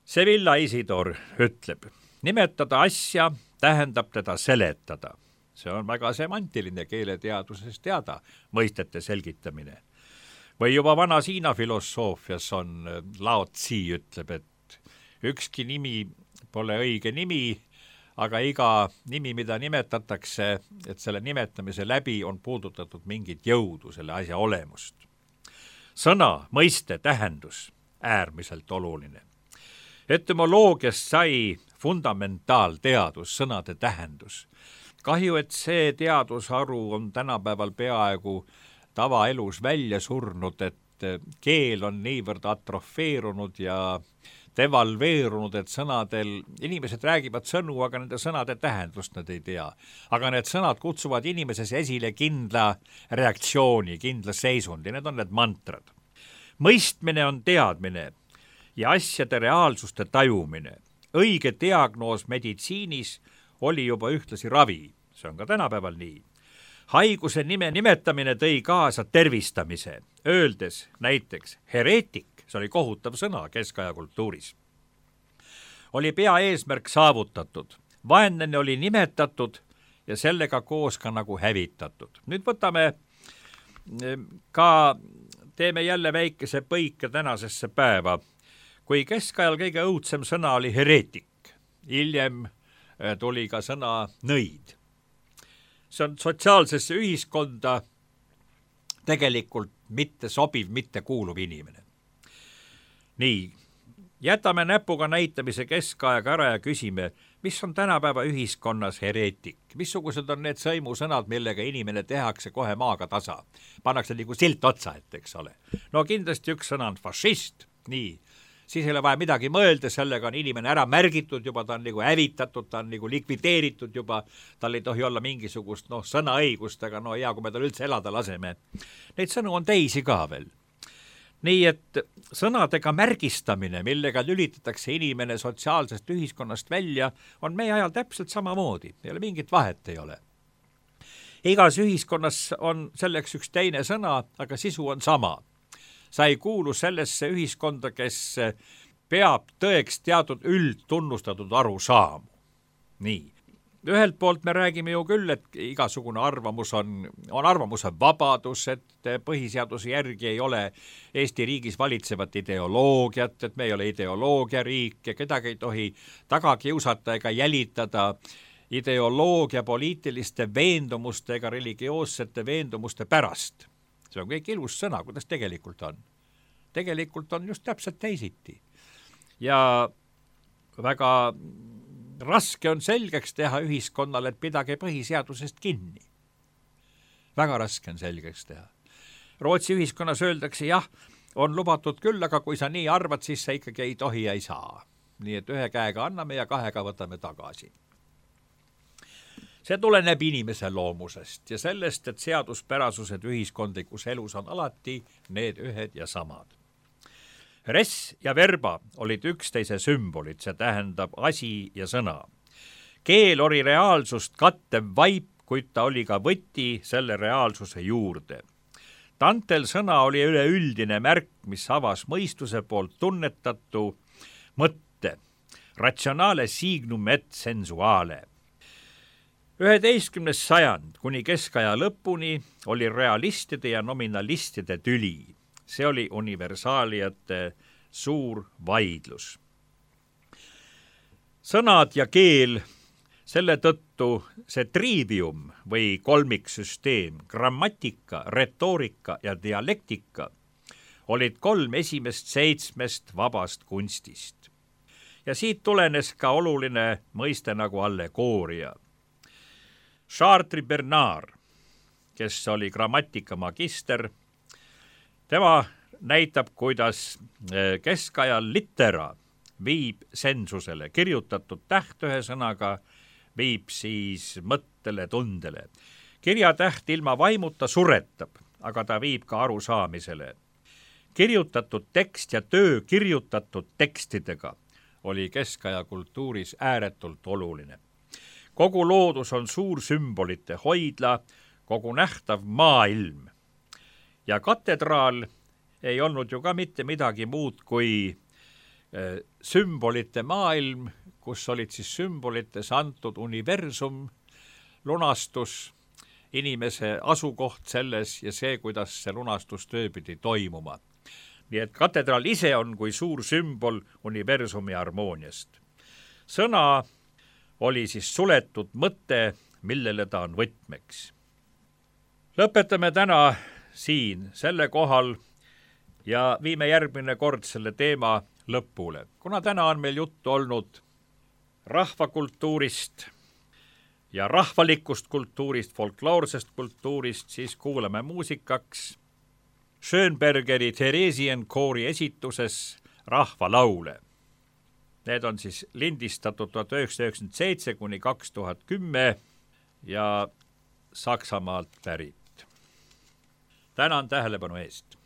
Sevilla Isidor ütleb, nimetada asja tähendab teda seletada. See on väga semantiline keeleteaduses teada, mõistete selgitamine. Või juba vanas Hiina filosoofias on Lao Tzi ütleb, et ükski nimi pole õige nimi, aga iga nimi, mida nimetatakse, et selle nimetamise läbi on puudutatud mingit jõudu, selle asja olemust. Sõna, mõiste, tähendus, äärmiselt oluline. Etümoloogiast sai fundamentaalteadus, sõnade tähendus. Kahju, et see teadusharu on tänapäeval peaaegu tavaelus välja surnud, et keel on niivõrd atrofeerunud ja devalveerunud, et sõnadel, inimesed räägivad sõnu, aga nende sõnade tähendust nad ei tea. Aga need sõnad kutsuvad inimeses esile kindla reaktsiooni, kindla seisundi, need on need mantrad. Mõistmine on teadmine ja asjade reaalsuste tajumine. Õige diagnoos meditsiinis oli juba ühtlasi ravi, see on ka tänapäeval nii. Haiguse nime nimetamine tõi kaasa tervistamise, öeldes näiteks hereetik, see oli kohutav sõna keskaja kultuuris. Oli pea eesmärk saavutatud, vaenlane oli nimetatud ja sellega koos ka nagu hävitatud. Nüüd võtame ka, teeme jälle väikese põike tänasesse päeva, kui keskajal kõige õudsem sõna oli hereetik, hiljem tuli ka sõna nõid. See on sotsiaalsesse ühiskonda tegelikult mitte sobiv, mitte kuuluv inimene. Nii, jätame näpuga näitamise keskajaga ära ja küsime, mis on tänapäeva ühiskonnas hereetik? Missugused on need sõimusõnad, millega inimene tehakse kohe maaga tasa? Pannakse nagu silt otsa, et eks ole. No kindlasti üks sõna on fašist, nii. Siis ei ole vaja midagi mõelda, sellega on inimene ära märgitud juba, ta on nagu hävitatud, ta on nagu likvideeritud juba, tal ei tohi olla mingisugust sõnaõigust, aga hea, kui me tal üldse elada laseme. Neid sõnu on teisi ka veel. Nii et sõnadega märgistamine, millega lülitatakse inimene sotsiaalsest ühiskonnast välja, on meie ajal täpselt samamoodi, ei ole mingit vahet ei ole. Igas ühiskonnas on selleks üks teine sõna, aga sisu on sama. Sa ei kuulu sellesse ühiskonda, kes peab tõeks teatud üldtunnustatud arusaamu. Nii. Ühelt poolt me räägime ju küll, et igasugune arvamus on arvamuse vabadus, et põhiseaduse järgi ei ole Eesti riigis valitsevat ideoloogiat, et me ei ole ideoloogiariik ja kedagi ei tohi taga kiusata ega jälitada ideoloogia poliitiliste veendumuste ega religioossete veendumuste pärast. See on kõik ilus sõna, kuidas tegelikult on. Tegelikult on just täpselt teisiti. Ja väga raske on selgeks teha ühiskonnale, et pidage põhiseadusest kinni. Väga raske on selgeks teha. Rootsi ühiskonnas öeldakse, jah, on lubatud küll, aga kui sa nii arvad, siis sa ikkagi ei tohi ja ei saa. Nii et ühe käega anname ja kahega võtame tagasi. See tuleneb inimese loomusest ja sellest, et seaduspärasused ühiskondlikus elus on alati need ühed ja samad. Res ja verba olid üksteise sümbolid, see tähendab asi ja sõna. Keel oli reaalsust kattev vaip, kuid ta oli ka võti selle reaalsuse juurde. Tantel sõna oli üleüldine märk, mis avas mõistuse poolt tunnetatu mõtte, ratsionale signum et sensuale. 11. sajand kuni keskaja lõpuni oli realistide ja nominalistide tüli. See oli universaaliate suur vaidlus. Sõnad ja keel, selle tõttu see trivium või kolmiksüsteem, grammatika, retoorika ja dialektika olid 3 esimest 7 vabast kunstist. Ja siit tulenes ka oluline mõiste nagu allegooria. Chartres Bernard, kes oli grammatika magister, tema näitab, kuidas keskajal litera viib sensusele, kirjutatud täht ühe sõnaga viib siis mõttele, tundele. Kirjatäht ilma vaimuta suretab, aga ta viib ka arusaamisele. Kirjutatud tekst ja töö kirjutatud tekstidega oli keskaja kultuuris ääretult oluline. Kogu loodus on suur sümbolite hoidla, kogu nähtav maailm. Ja katedraal ei olnud ju ka mitte midagi muud kui sümbolite maailm, kus olid siis sümbolites antud universum, lunastus, inimese asukoht selles ja see, kuidas see lunastustöö pidi toimuma. Nii et katedraal ise on kui suur sümbol universumi harmooniast. Sõna oli siis suletud mõte, millele ta on võtmeks. Lõpetame täna siin selle kohal ja viime järgmine kord selle teema lõpule. Kuna täna on meil juttu olnud rahvakultuurist ja rahvalikust kultuurist, folkloorsest kultuurist, siis kuulame muusikaks Schönbergeri Theresian koori esituses rahvalaule. Need on siis lindistatud 1997 kuni 2010 ja Saksamaalt pärit. Tänan tähelepanu eest.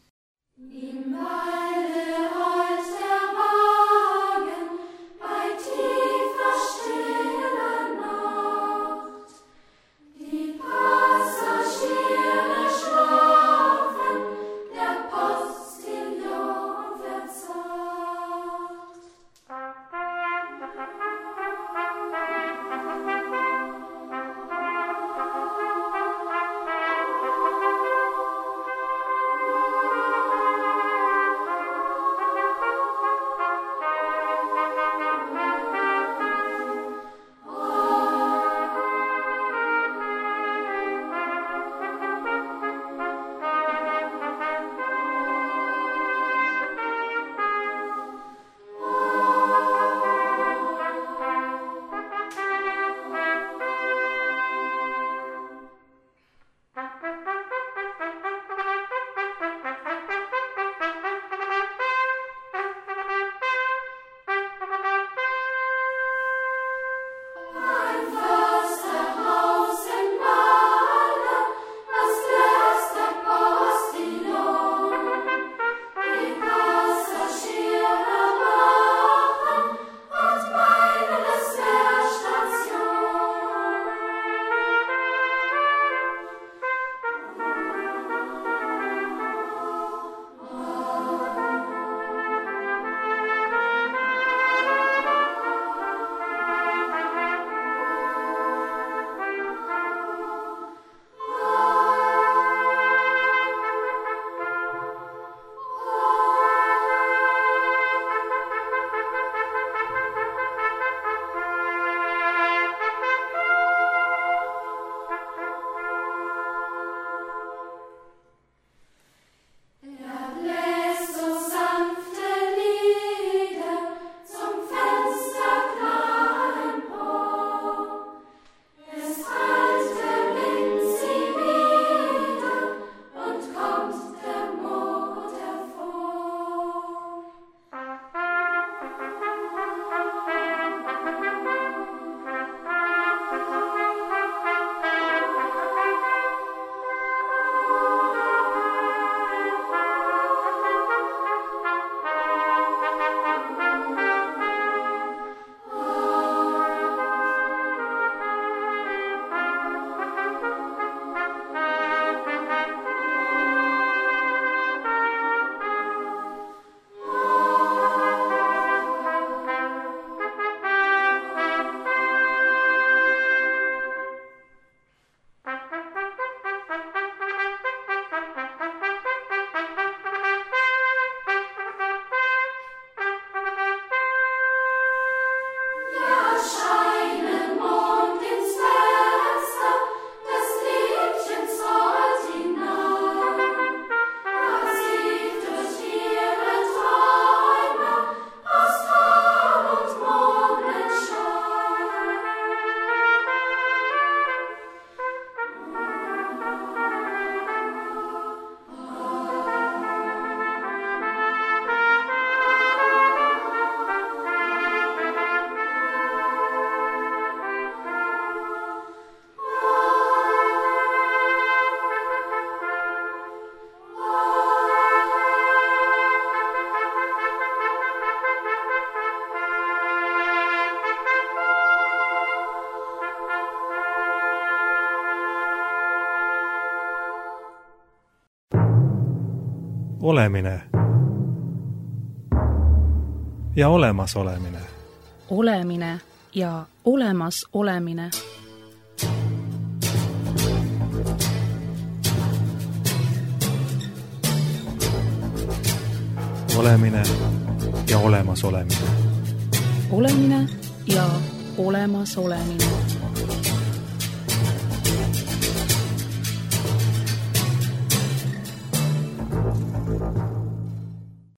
olemine ja olemasolemine. Olemine ja olemas olemine. Olemine ja olemas olemine. Olemine ja olemas olemine.